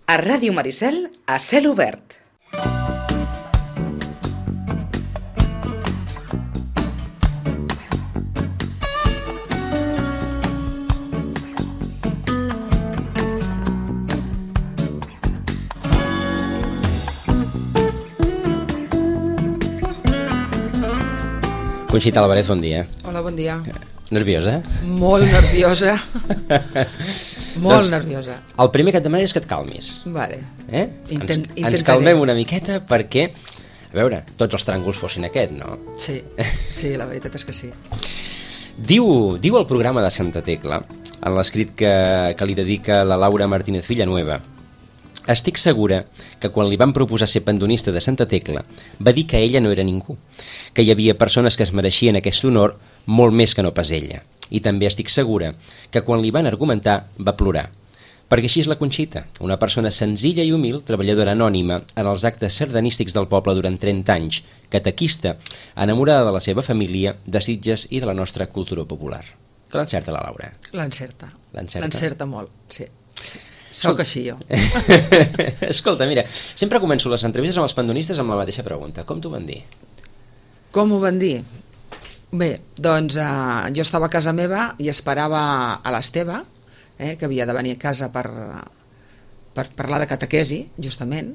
A Ràdio Maricel, a cel obert. Conxita Álvarez, bon dia. Hola, bon dia. Nerviosa? Molt nerviosa. Molt nerviosa. El primer que et demanaria és que et calmis. Vale. Ens calmem una miqueta perquè, a veure, tots els tràngols fossin aquest, no? Sí, la veritat és que sí. Diu el programa de Santa Tecla, en l'escrit que li dedica la Laura Martínez Villanueva: estic segura que quan li van proposar ser pendonista de Santa Tecla va dir que ella no era ningú, que hi havia persones que es mereixien aquest honor molt més que no pas ella. I també estic segura que quan li van argumentar va plorar, perquè així és la Conxita, una persona senzilla i humil, treballadora anònima en els actes sardanístics del poble durant 30 anys, catequista, enamorada de la seva família, de Sitges i de la nostra cultura popular. Que l'encerta la Laura? L'encerta molt, sí. Soc així, jo. Escolta, mira, sempre començo les entrevistes amb els pandonistes amb la mateixa pregunta. Com t'ho van dir? Com ho van dir? Bé, doncs jo estava a casa meva i esperava a l'Esteve, que havia de venir a casa per parlar de catequesi, justament,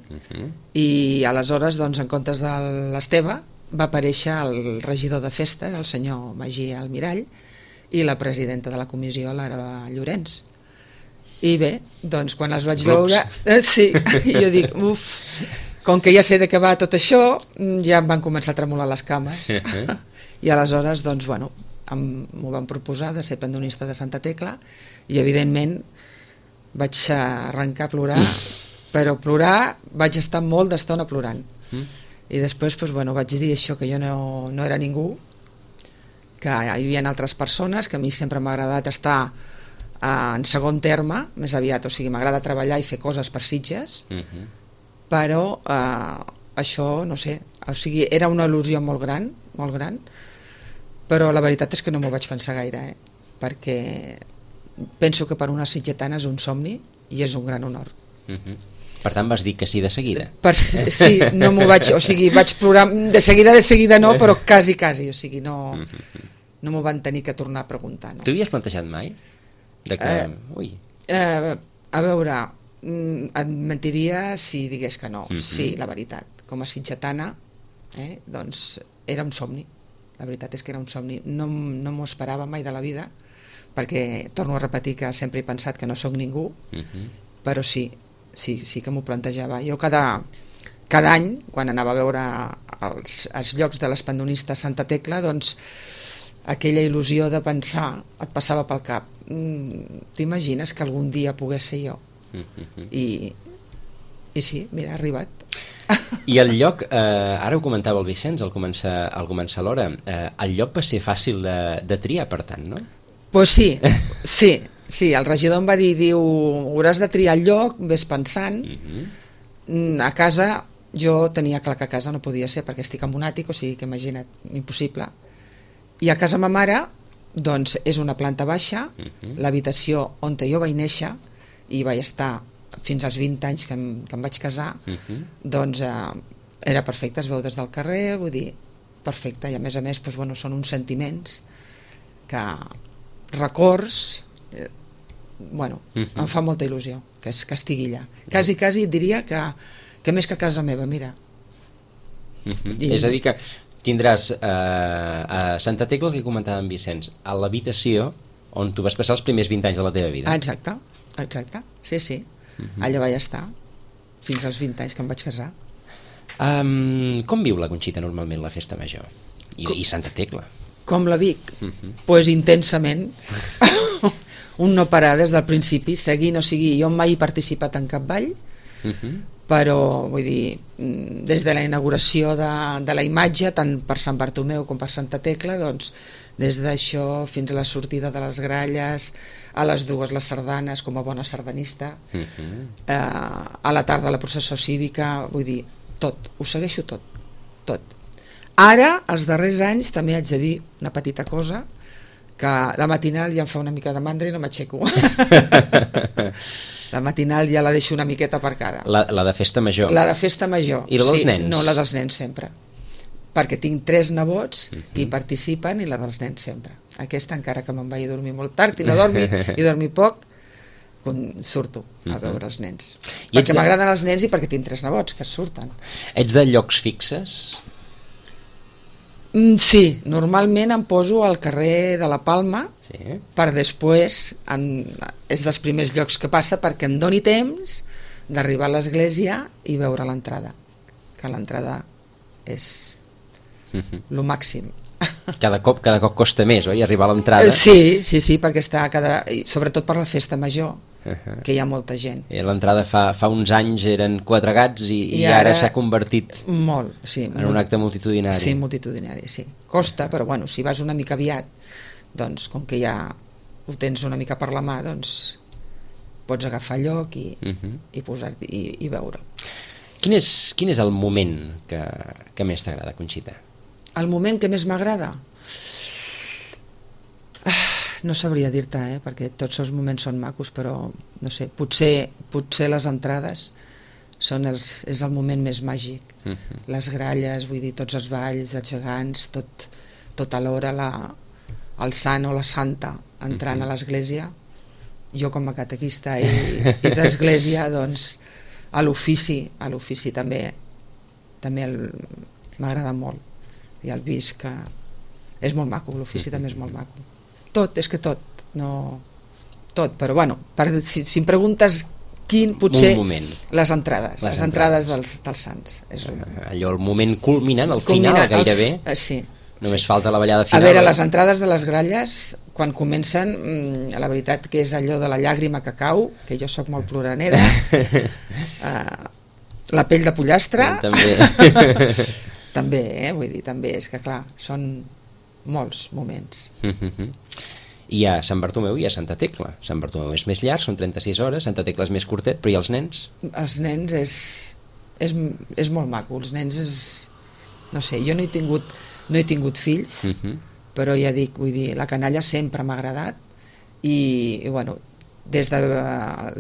i aleshores, doncs, en comptes de l'Esteve, va aparèixer el regidor de festes, el senyor Magí Almirall, i la presidenta de la comissió, l'Ara Llorenç. I bé, doncs quan els vaig veure, sí, jo dic, com que ja sé de què va tot això, ja em van començar a tremolar les cames. I aleshores, doncs, bueno, m'ho van proposar de ser pendonista de Santa Tecla i, evidentment, vaig arrencar a plorar, però plorar, vaig estar molt d'estona plorant. I després, doncs, bueno, vaig dir això, que jo no era ningú, que hi havia altres persones, que a mi sempre m'ha agradat estar en segon terme, més aviat, o sigui, m'agrada treballar i fer coses per Sitges, però això, no sé, o sigui, era una il·lusió molt gran, però la veritat és que no m'ho vaig pensar gaire, perquè penso que per una sitgetana és un somni i és un gran honor. Per tant, vas dir que sí de seguida? Sí, no m'ho vaig, o sigui, vaig plorar de seguida no, però quasi, o sigui, no m'ho van tenir que tornar a preguntar. T'ho havies plantejat mai? A veure, et mentiria si digués que no. Sí, la veritat, com a sitgetana, doncs era un somni, la veritat és que era un somni, no m'ho esperava mai de la vida, perquè torno a repetir que sempre he pensat que no sóc ningú, però sí que m'ho plantejava. Jo cada any, quan anava a veure els llocs de les pendonistes Santa Tecla, doncs aquella il·lusió de pensar et passava pel cap, t'imagines que algun dia pogués ser jo? I sí, mira, ha arribat. I el lloc, ara ho comentava el Vicenç al començar l'hora, el lloc va ser fàcil de triar, per tant, no? Pues sí, el regidor em va dir, diu, hauràs de triar el lloc, ves pensant. A casa, jo tenia clar que a casa no podia ser perquè estic en un àtic, o sigui que imagina't, impossible. I a casa ma mare, doncs, és una planta baixa, l'habitació on jo vaig néixer i vaig estar fins als 20 anys que em vaig casar, doncs era perfecte, es veu des del carrer, vull dir, perfecte, i a més, doncs, bueno, són uns sentiments que, records, bueno, em fa molta il·lusió que estigui allà. Quasi et diria que més que casa meva, mira. És a dir que tindràs a Santa Tecla, el que comentava en Vicenç, a l'habitació on tu vas passar els primers 20 anys de la teva vida. Exacte, sí. Allà vaig estar fins als 20 anys que em vaig casar. Com viu la Conxita normalment la festa major? I Santa Tecla? Com la vic? Pues intensament. Un no parar des del principi, seguir, no sigui, jo mai he participat en cap ball, però vull dir, des de la inauguració de la imatge, tant per Sant Bartomeu com per Santa Tecla, doncs des d'això fins a la sortida de les gralles, a les 2 les sardanes com a bona sardanista, a la tarda la processó cívica, vull dir, tot, ho segueixo tot. Ara, els darrers anys, també haig de dir una petita cosa, que la matinal ja em fa una mica de mandra i no m'aixeco. La matinal ja la deixo una miqueta aparcada. La de festa major. La de festa major. I la dels nens? No, la dels nens sempre. Perquè tinc 3 nebots que hi participen, i la dels nens sempre. Aquesta, encara que me'n vaig a dormir molt tard i no dormi, i dormi poc, surto a veure els nens. Perquè m'agraden els nens i perquè tinc 3 nebots que surten. Ets de llocs fixes? Sí, normalment em poso al carrer de la Palma, Sí. per després, és dels primers llocs que passa perquè em doni temps d'arribar a l'església i veure l'entrada, que l'entrada és lo màxim. Cada cop costa més, oi? Arribar a l'entrada. Sí, perquè està sobretot per la festa major, que hi ha molta gent. I l'entrada fa uns anys eren 4 gats i ara s'ha convertit molt, sí, en un acte multitudinari. Sí, multitudinari, sí. Costa, però bueno, si vas una mica aviat, doncs com que ja ho tens una mica per la mà, doncs pots agafar lloc i posar-t'hi i veure. Quin és el moment que més t'agrada, Conxita? El moment que més m'agrada? No sabria dir-te, perquè tots els moments són macos, però no sé, potser les entrades és el moment més màgic. Les gralles, vull dir, tots els balls, els gegants, tot alhora el sant o la santa entrant a l'església. Jo com a catequista i d'església, doncs a l'ofici també m'agrada molt. I el visc, que és molt maco, l'ofici també és molt maco. Tot, però bueno, si em preguntes quin, potser les entrades dels sants. Allò, el moment culminant, al final, gairebé. Sí. Només falta la ballada final. A veure, les entrades de les gralles, quan comencen, la veritat que és allò de la llàgrima que cau, que jo sóc molt ploranera, la pell de pollastre, també, vull dir, també, és que clar, són molts moments. I a Sant Bartomeu i a Santa Tecla. Sant Bartomeu és més llarg, són 36 hores, Santa Tecla és més curtet, però i els nens? Els nens és molt maco, els nens és... No sé, jo no he tingut fills, però ja dic, vull dir, la canalla sempre m'ha agradat i bueno, des de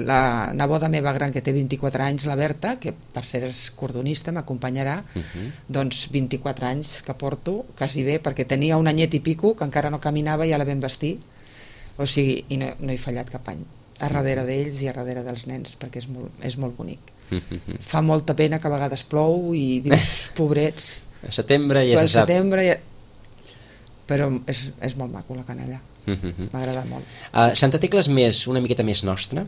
la neboda meva gran que té 24 anys, la Berta, que per ser és cordonista m'acompanyarà, doncs 24 anys que porto, quasi bé, perquè tenia un anyet i pico que encara no caminava i ja la vam vestir, o sigui, i no he fallat cap any a darrere d'ells i a darrere dels nens, perquè és molt bonic. Fa molta pena que a vegades plou i dius, pobrets, a setembre ja se sap. Però és molt maco la canalla, m'agrada molt. Santa Tecla és una miqueta més nostra?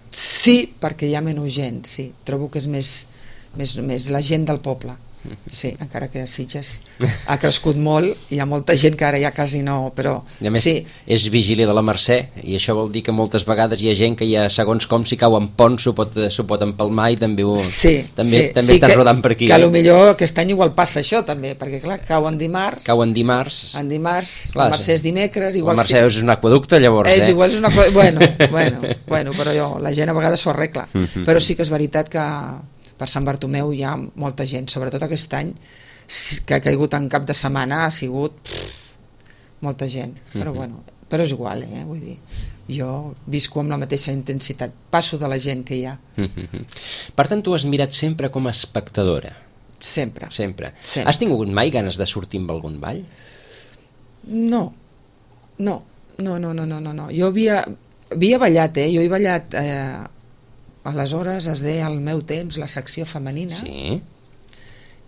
Sí, perquè hi ha menys gent, sí. Trobo que és més la gent del poble. Sí, encara que a Sitges ha crescut molt, hi ha molta gent que ara ja quasi no, però i a més, sí. És vigília de la Mercè, i això vol dir que moltes vegades hi ha gent que ja, segons com, si cau en pont s'ho pot empalmar i també està rodant per aquí. Que potser aquest any igual passa això també, perquè clar, cau en dimarts, la Mercè és dimecres, igual la Mercè és un aqüeducte, llavors igual és un aqüeducte, bueno, però la gent a vegades s'ho arregla, però sí que és veritat que per Sant Bartomeu hi ha molta gent, sobretot aquest any que ha caigut en cap de setmana, ha sigut molta gent, però és igual, vull dir, jo visco amb la mateixa intensitat, passo de la gent que hi ha. Per tant, tu has mirat sempre com a espectadora? Sempre. Has tingut mai ganes de sortir amb algun ball? No. Jo havia ballat, jo he ballat aleshores es deia al meu temps la secció femenina, sí.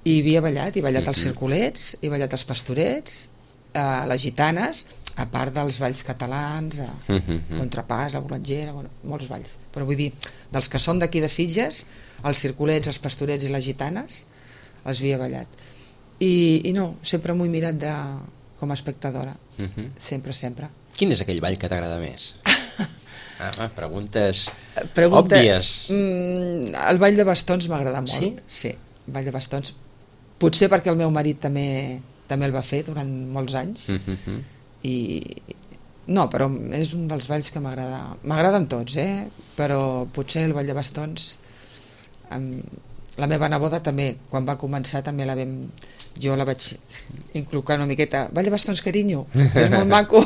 I havia ballat, els circulets, he ballat els pastorets, les gitanes, a part dels balls catalans, contrapàs, la bolangera, molts balls, però vull dir, dels que són d'aquí de Sitges, els circulets, els pastorets i les gitanes els havia ballat i no, sempre m'ho he mirat com a espectadora, sempre. Quin és aquell ball que t'agrada més? Preguntes òbvies. El ball de bastons m'agrada molt. Sí, el ball de bastons. Potser perquè el meu marit també el va fer durant molts anys. No, però és un dels balls que m'agrada. M'agraden tots, però potser el ball de bastons La meva neboda també, quan va començar també jo la vaig inculcar una miqueta, ball de bastons, carinyo, és molt maco,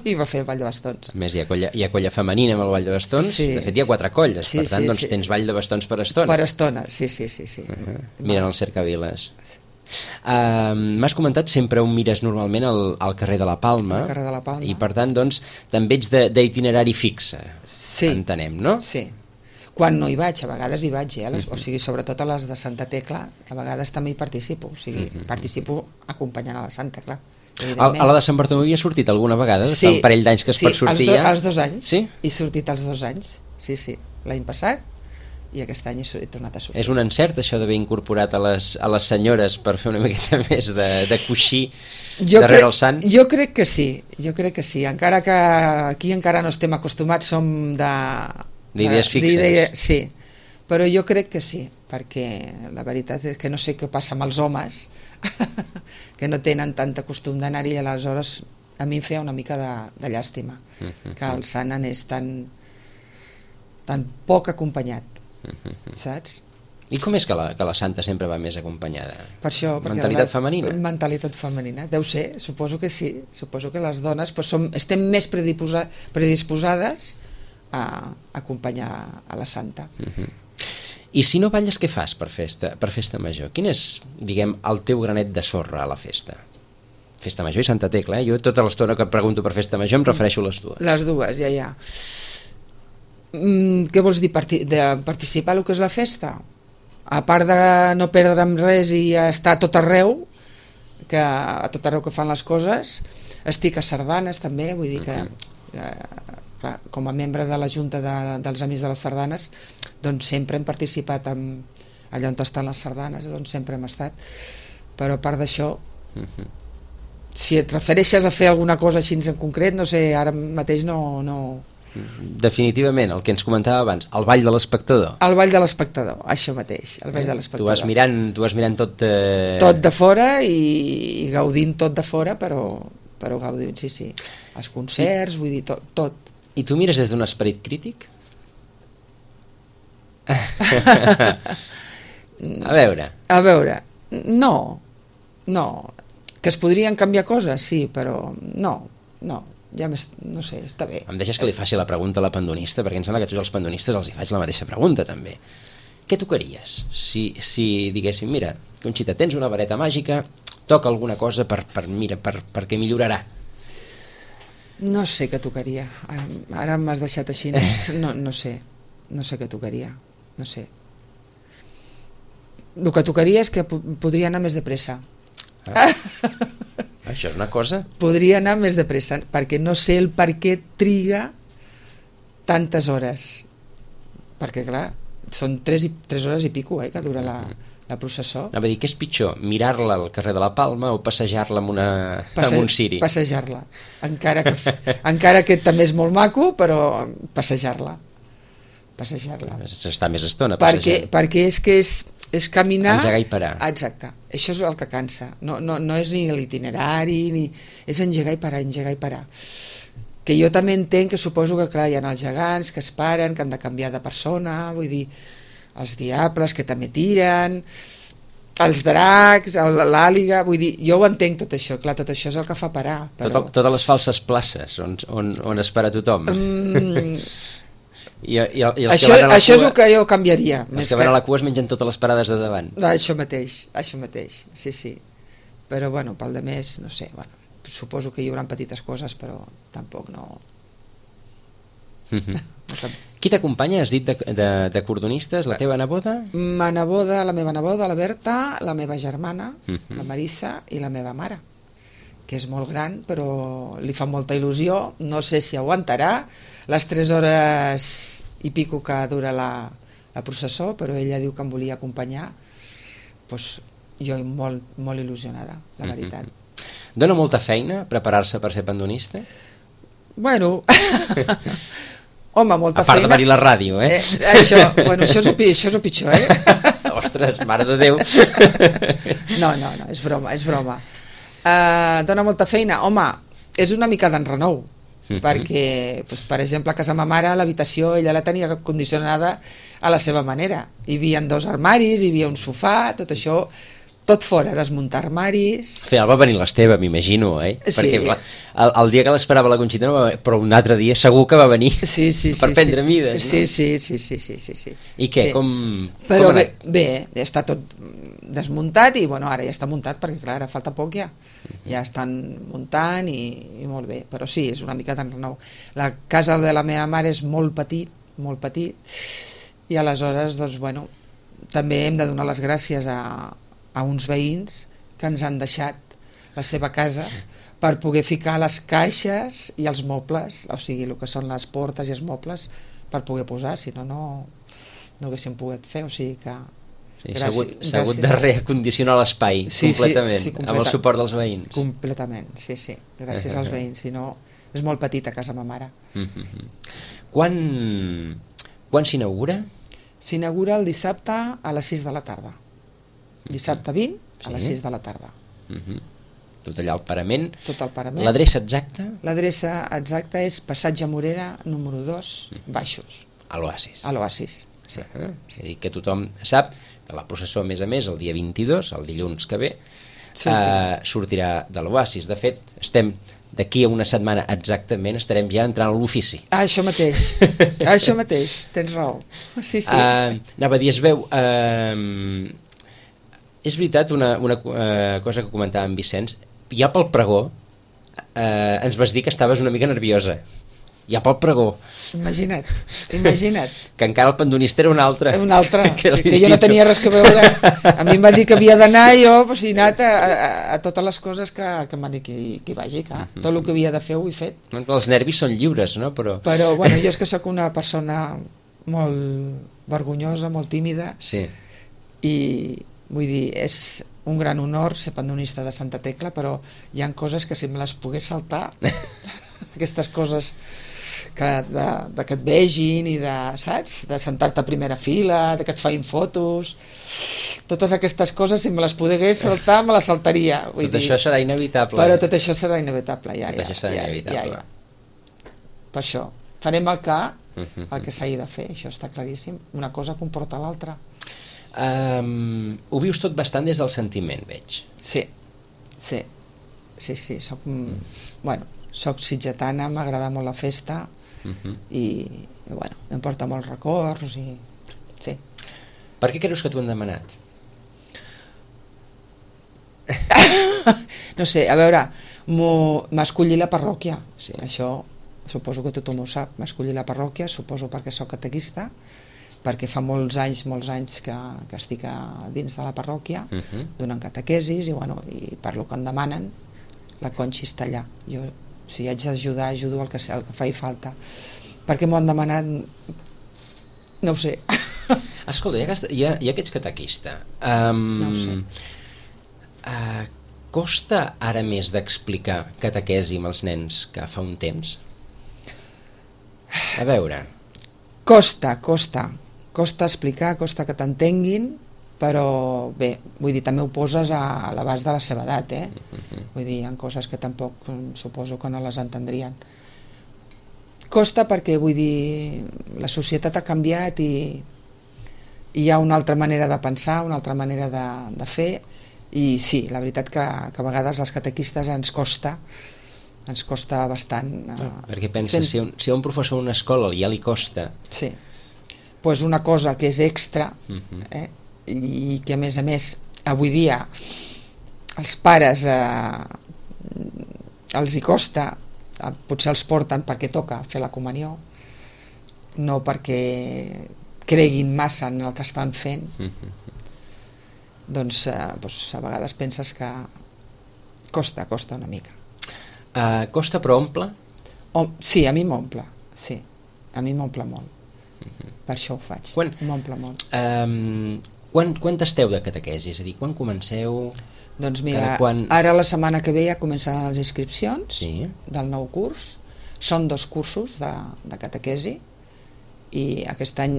i va fer el ball de bastons. A més, hi ha colla femenina amb el ball de bastons, Sí, de fet hi ha 4 colles, sí, per tant, sí, doncs sí. tens ball de bastons per estona. Per estona, sí. Mirant el cercaviles. M'has comentat sempre on mires normalment al carrer de la Palma, Al carrer de la Palma. i per tant, doncs, també ets d'itinerari fixe, Sí. entenem, no? Sí. Quan no hi vaig, a vegades hi vaig, o sigui, sobretot a les de Santa Tecla, a vegades també hi participo, o sigui, participo acompanyant a la Santa, clar. A la de Sant Bartomeu hi ha sortit alguna vegada? Sí, Fa un parell d'anys que es pot sortir ja? Els 2 anys, Sí? he sortit els 2 anys, sí, l'any passat, i aquest any he tornat a sortir. És un encert això d'haver incorporat a les senyores per fer una miqueta més de coixí darrere el sant? Jo crec que sí, encara que aquí encara no estem acostumats, som d'idees fixes. Sí, però jo crec que sí, perquè la veritat és que no sé què passa amb els homes que no tenen tant costum d'anar-hi, i aleshores a mi em feia una mica de llàstima que el sant anés tan poc acompanyat, saps? I com és que la santa sempre va més acompanyada? Per això, perquè Mentalitat femenina? Mentalitat femenina, deu ser, suposo que sí, suposo que les dones estem més predisposades a acompanyar a la santa. I si no balles, què fas per festa major? Quin és, diguem, el teu granet de sorra a la festa? Festa major i Santa Tecla, Jo tota l'estona que pregunto per festa major em refereixo a les dues. Les dues, ja. Què vols dir, de participar a el que és la festa? A part de no perdre'm res i estar a tot arreu, a tot arreu que fan les coses, estic a sardanes també, vull dir que clar, com a membre de la Junta dels Amics de les Sardanes, doncs sempre hem participat allà on estan les sardanes, doncs sempre hem estat, però a part d'això, si et refereixes a fer alguna cosa així en concret, no sé, ara mateix no. Definitivament, el que ens comentava abans, el ball de l'espectador. El ball de l'espectador, això mateix, el ball de l'espectador. Tu vas mirant tot... Tot de fora i gaudint tot de fora, però gaudint, sí. Els concerts, vull dir, tot. I tu mires des d'un esperit crític? A veure, no, que es podrien canviar coses, sí, però no, ja no sé, està bé. em deixes que li faci la pregunta a la pandonista, perquè em sembla que a tots els pandonistes els hi faig la mateixa pregunta també. Què tocaries si diguéssim, mira, Conxita, tens una vareta màgica, toca alguna cosa perquè millorarà? No sé què tocaria, ara m'has deixat així, no sé què tocaria, no sé. El que tocaria és que podria anar més de pressa. Això és una cosa? Podria anar més de pressa, perquè no sé el per què triga tantes hores. Perquè, clar, són 3 hores i pico que dura la processó. Anava a dir, què és pitjor, mirar-la al carrer de la Palma o passejar-la amb un ciri? Passejar-la. Encara que també és molt maco, però passejar-la. S'està més estona passejant. Perquè és que és caminar... Engegar i parar. Exacte, això és el que cansa. No és ni l'itinerari, és engegar i parar. Que jo també entenc que suposo que, clar, hi ha els gegants que es paren, que han de canviar de persona, vull dir, els diables que també tiren, els dracs, l'àliga, vull dir, jo ho entenc tot això, clar, tot això és el que fa parar. Però... Totes les falses places on es para tothom. I això és el que jo canviaria. Els que van a la cua es mengen totes les parades de davant. Això mateix, sí. Però, bueno, pel de més, no sé, bueno, suposo que hi haurà petites coses, però tampoc no... Qui t'acompanya? Has dit de cordonistes? La teva neboda? La meva neboda, la Berta, la meva germana, la Marissa i la meva mare, que és molt gran, però li fa molta il·lusió, no sé si aguantarà les 3 hores i pico que dura la processó, però ella diu que em volia acompanyar, doncs jo molt, molt il·lusionada, la veritat. Dona molta feina preparar-se per ser pandonista? Bueno, home, molta feina. A part de venir a la ràdio, això és el pitjor, Ostres, mare de Déu. No, és broma. Dona molta feina, home, és una mica d'enrenou, perquè, doncs, per exemple, a casa ma mare l'habitació ella la tenia condicionada a la seva manera. Hi havia 2 armaris, hi havia un sofà, tot això, tot fora, desmuntar armaris. Al final va venir l'Esteve, m'imagino, Sí. Perquè clar, el dia que l'esperava la Conxita no va venir, però un altre dia segur que va venir per prendre mides. Sí, sí. I què, sí. com Però com bé, està tot desmuntat i bueno, ara ja està muntat perquè clar, ara falta poc ja estan muntant i molt bé, però sí, és una mica tan nou. La casa de la meva mare és molt petit i aleshores doncs bueno, també hem de donar les gràcies a uns veïns que ens han deixat la seva casa per poder ficar les caixes i els mobles, o sigui, el que són les portes i els mobles per poder posar, si no, no haguéssim pogut fer, o sigui que s'ha hagut de reacondicionar l'espai completament, amb el suport dels veïns. Completament, sí, gràcies als veïns, si no és molt petita casa ma mare. Quan s'inaugura? S'inaugura el dissabte a les 6 de la tarda. Dissabte 20 a les 6 de la tarda. Tot allà al parament. Tot el parament. L'adreça exacta? L'adreça exacta és Passatge Morera, número 2, Baixos. A l'Oasis. A l'Oasis, sí. És a dir, que tothom sap que la processó, a més, el dia 22, el dilluns que ve, sortirà de l'Oasis. De fet, d'aquí a una setmana exactament estarem ja entrant a l'ofici. Això mateix, tens raó. Sí. Anava a dir, es veu... és veritat una cosa que comentava en Vicenç, ja pel pregó ens vas dir que estaves una mica nerviosa. Ja pel pregó. Imagina't. Que encara el pandonista era un altre. Que jo no tenia res que veure. A mi em va dir que havia d'anar i jo he anat a totes les coses que em van dir que hi vagi. Tot el que havia de fer ho he fet. Els nervis són lliures, no? Però bueno, jo és que sóc una persona molt vergonyosa, molt tímida. Sí. I vull dir, és un gran honor ser pandonista de Santa Tecla, però hi ha coses que si me les pogués saltar, aquestes coses de que et vegin i saps? De sentar-te a primera fila, de que et feien fotos, totes aquestes coses si me les pogués saltar me les saltaria. Tot això serà inevitable. Però tot això serà inevitable, ja. Per això farem el que s'hagi de fer, això està claríssim, una cosa comporta l'altra. Ho vius tot bastant des del sentiment, veig. Sí, soc sitgetana, m'agrada molt la festa i bueno, em porta molts records i sí. Per què creus que t'ho han demanat? No sé, a veure, m'ha escollit la parròquia, això suposo que tothom ho sap, m'ha escollit la parròquia, suposo perquè soc catequista, perquè fa molts anys que estic dins de la parròquia donant catequesis i per lo que em demanen la Conxi està allà. Jo, si haig d'ajudar, ajudo el que faci falta. Per què m'ho han demanat? No ho sé. Escolta, ja que ets catequista, no ho sé. Costa ara més d'explicar catequesi amb els nens que fa un temps? A veure... Costa explicar, costa que t'entenguin, però bé, vull dir, també ho poses a l'abast de la seva edat, vull dir, hi ha coses que tampoc suposo que no les entendrien. Costa perquè, vull dir, la societat ha canviat i hi ha una altra manera de pensar, una altra manera de fer, i sí, la veritat que a vegades als catequistes ens costa bastant. Perquè penses, si a un professor d'una escola ja li costa... Sí, doncs una cosa que és extra, i que a més, avui dia els pares els hi costa, potser els porten perquè toca fer la comunió, no perquè creguin massa en el que estan fent, doncs a vegades penses que costa una mica. Costa però omple? Sí, a mi m'omple, sí, a mi m'omple molt. Per això ho faig, m'omple molt. Quan esteu de catequesi? És a dir, quan comenceu? Doncs mira, ara la setmana que ve ja començaran les inscripcions del nou curs. Són 2 cursos de catequesi i aquest any,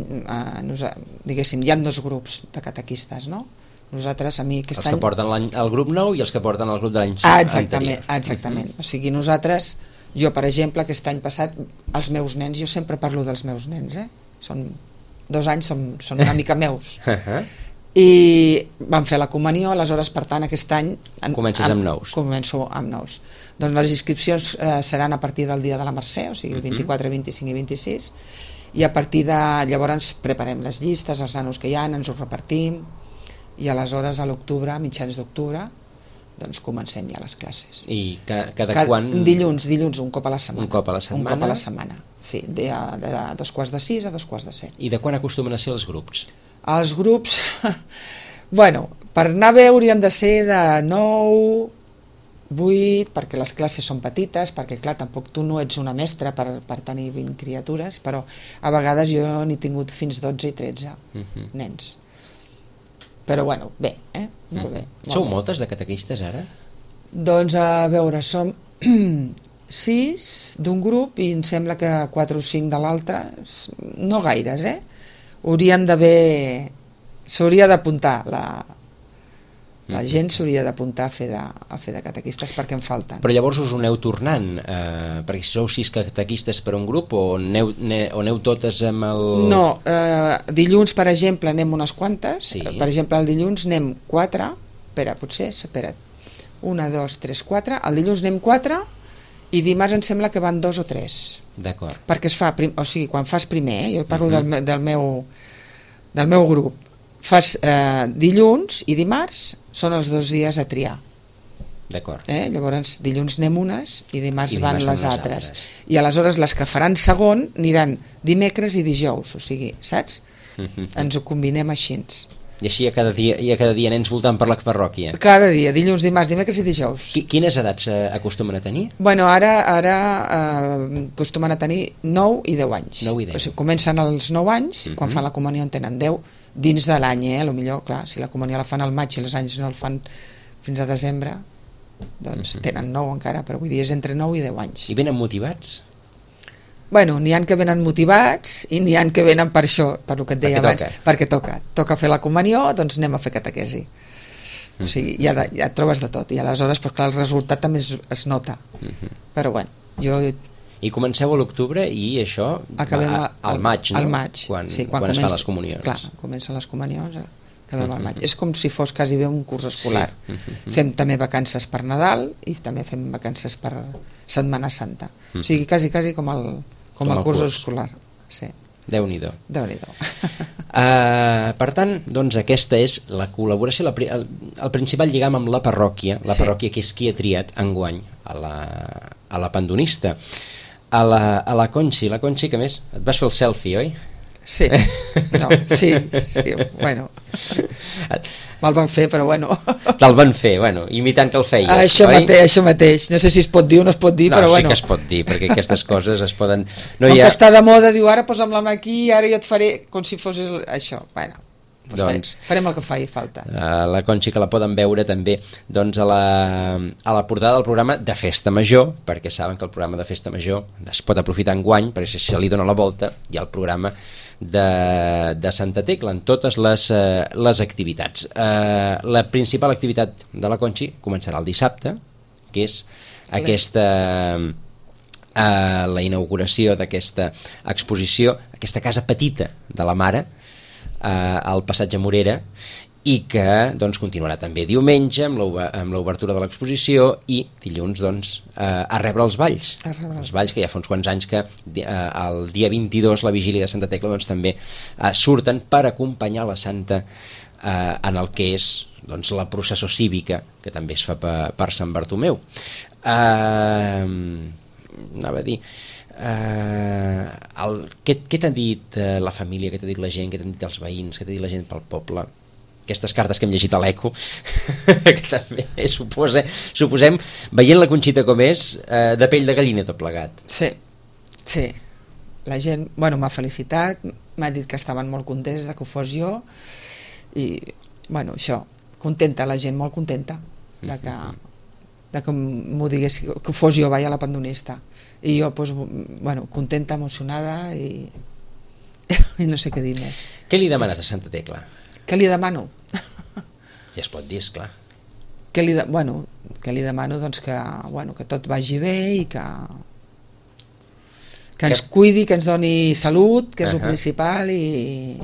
diguéssim, hi ha 2 grups de catequistes, no? Nosaltres, a mi aquest any... Els que porten el grup nou i els que porten el grup de l'any anterior. Exactament. O sigui, nosaltres Jo, per exemple, aquest any passat, els meus nens, jo sempre parlo dels meus nens, són 2 anys, són una mica meus. I vam fer la comunió, aleshores, per tant, aquest any... Comences amb nous. Començo amb nous. Doncs les inscripcions seran a partir del dia de la Mercè, o sigui, el 24, 25 i 26, i a partir de... Llavors preparem les llistes, els nanos que hi ha, ens ho repartim, i aleshores a l'octubre, a mitjans d'octubre, doncs comencem ja les classes. I cada quan... Dilluns, un cop a la setmana. Un cop a la setmana? Un cop a la setmana, sí, de 2:45 a 2:45. I de quan acostumen a ser els grups? Els grups, bueno, per anar bé haurien de ser de 9, 8, perquè les classes són petites, perquè clar, tampoc tu no ets una mestra per tenir 20 criatures, però a vegades jo n'he tingut fins 12 i 13 nens. Però bueno, bé, molt bé. Sou moltes de catequistes ara? Doncs a veure, som 6 d'un grup i em sembla que 4 o 5 de l'altre, no gaires, haurien d'haver... S'hauria d'apuntar, la gent s'hauria d'apuntar a fer de catequistes perquè en falten. Però llavors us ho aneu tornant, perquè si sou 6 catequistes per un grup o aneu totes amb el... No, dilluns, per exemple, anem unes quantes. Sí. Per exemple, el dilluns anem 4, espera't, 1, 2, 3, 4, el dilluns anem 4 i dimarts em sembla que van 2 o 3. D'acord. Perquè es fa, o sigui, quan fas primer, jo parlo del meu grup, fas dilluns i dimarts són els 2 dies a triar. D'acord. Llavors dilluns anem unes i dimarts van les altres. I aleshores les que faran segon aniran dimecres i dijous, o sigui, saps? Ens ho combinem així. I així cada dia nens voltant per la parròquia? Cada dia, dilluns, dimarts, dimecres i dijous. Quines edats acostumen a tenir? Bueno, ara acostumen a tenir 9 i 10 anys. 9 i 10. O sigui, comencen als 9 anys, quan fan la comunió en tenen 10, dins de l'any, potser, clar, si la comunió la fan al maig i els anys no el fan fins a desembre, doncs tenen 9 encara, però vull dir, és entre 9 i 10 anys. I venen motivats? Bueno, n'hi ha que venen motivats i n'hi ha que venen per això, per el que et deia abans, perquè toca fer la comunió, doncs anem a fer catequesi. O sigui, ja et trobes de tot, i aleshores, doncs clar, el resultat també es nota. Però bueno, I comenceu a l'octubre i això al maig, no? Al maig, quan es fan les comunions. Clar, comencen les comunions, acabem al maig. És com si fos quasi bé un curs escolar. Fem també vacances per Nadal i també fem vacances per Setmana Santa. O sigui, quasi com el curs escolar. Sí. Déu-n'hi-do. Déu-n'hi-do. Per tant, doncs aquesta és la col·laboració, el principal lligam amb la parròquia, parròquia que és qui ha triat enguany a la pandonista. A la Conxi, que a més et vas fer el selfie, oi? Sí, bueno, me'l van fer, però bueno. Te'l van fer, bueno, imitant que el feies, això mateix, no sé si es pot dir o no es pot dir, però bueno. No, sí que es pot dir, perquè aquestes coses es poden... Com que està de moda, diu, ara posa'm la mà aquí, ara jo et faré com si fossis això, bueno. Doncs farem el que faci falta. La Conxi, que la poden veure també doncs a la portada del programa de Festa Major, perquè saben que el programa de Festa Major es pot aprofitar enguany, perquè si se li dona la volta hi ha el programa de Santa Tecla en totes les activitats. La principal activitat de la Conxi començarà el dissabte, que és la inauguració d'aquesta exposició, aquesta casa petita de la Mare, al passatge Morera, i que doncs, continuarà també diumenge amb l'obertura de l'exposició i dilluns doncs, a rebre els balls. Els balls que ja fa uns quants anys que el dia 22, la vigília de Santa Tecla, doncs, també surten per acompanyar la Santa en el que és doncs, la processó cívica, que també es fa per Sant Bartomeu. Anava a dir... què t'ha dit la família, què t'ha dit la gent, què t'han dit els veïns, què t'ha dit la gent pel poble, aquestes cartes que hem llegit a l'Eco que també suposem, veient la Conxita com és, de pell de gallina tot plegat. Sí, la gent m'ha felicitat, m'ha dit que estaven molt contents de que ho fos jo i això, contenta, la gent molt contenta de que m'ho digués, que fos jo, a la pandonista. I jo, contenta, emocionada i no sé què dir més. Què li demanes a Santa Tecla? Què li demano? Ja es pot dir, esclar. Què li demano? Doncs que tot vagi bé i que Que ens cuidi, que ens doni salut, que és el principal, i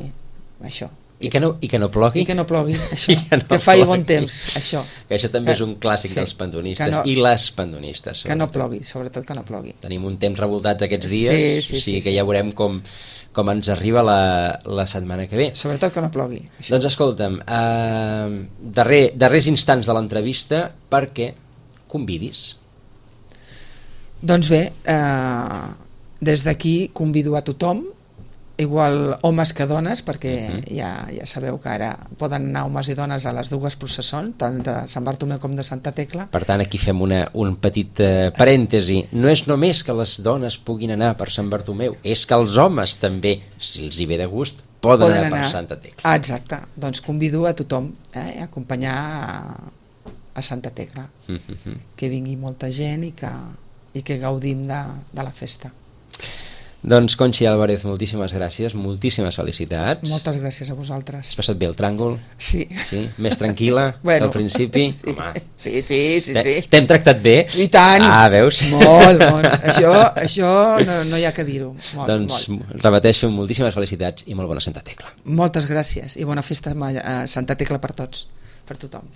això. I que no plogui. I que no plogui, això. Que faci bon temps, això. Que això també és un clàssic dels pantonistes i les pantonistes. Que no plogui, sobretot que no plogui. Tenim un temps revoltats aquests dies, o sigui que ja veurem com ens arriba la setmana que ve. Sobretot que no plogui. Això. Doncs escolta'm, darrers instants de l'entrevista, perquè convidis. Doncs bé, des d'aquí convido a tothom, igual homes que dones, perquè ja sabeu que ara poden anar homes i dones a les dues processons, tant de Sant Bartomeu com de Santa Tecla. Per tant, aquí fem un petit parèntesi. No és només que les dones puguin anar per Sant Bartomeu, és que els homes també, si els hi ve de gust, poden anar per Santa Tecla. Exacte, doncs convido a tothom a acompanyar a Santa Tecla, que vingui molta gent i que gaudim de la festa. Doncs Conxi Álvarez, moltíssimes gràcies, moltíssimes felicitats. Moltes gràcies a vosaltres. Has passat bé el tràngol? Sí. Més tranquil·la que al principi? Sí. Home. Sí. T'hem tractat bé? I tant! Veus? Molt. Això no hi ha que dir-ho. Doncs repeteixo, moltíssimes felicitats i molt bona Santa Tecla. Moltes gràcies i bona festa a Santa Tecla per tots, per tothom.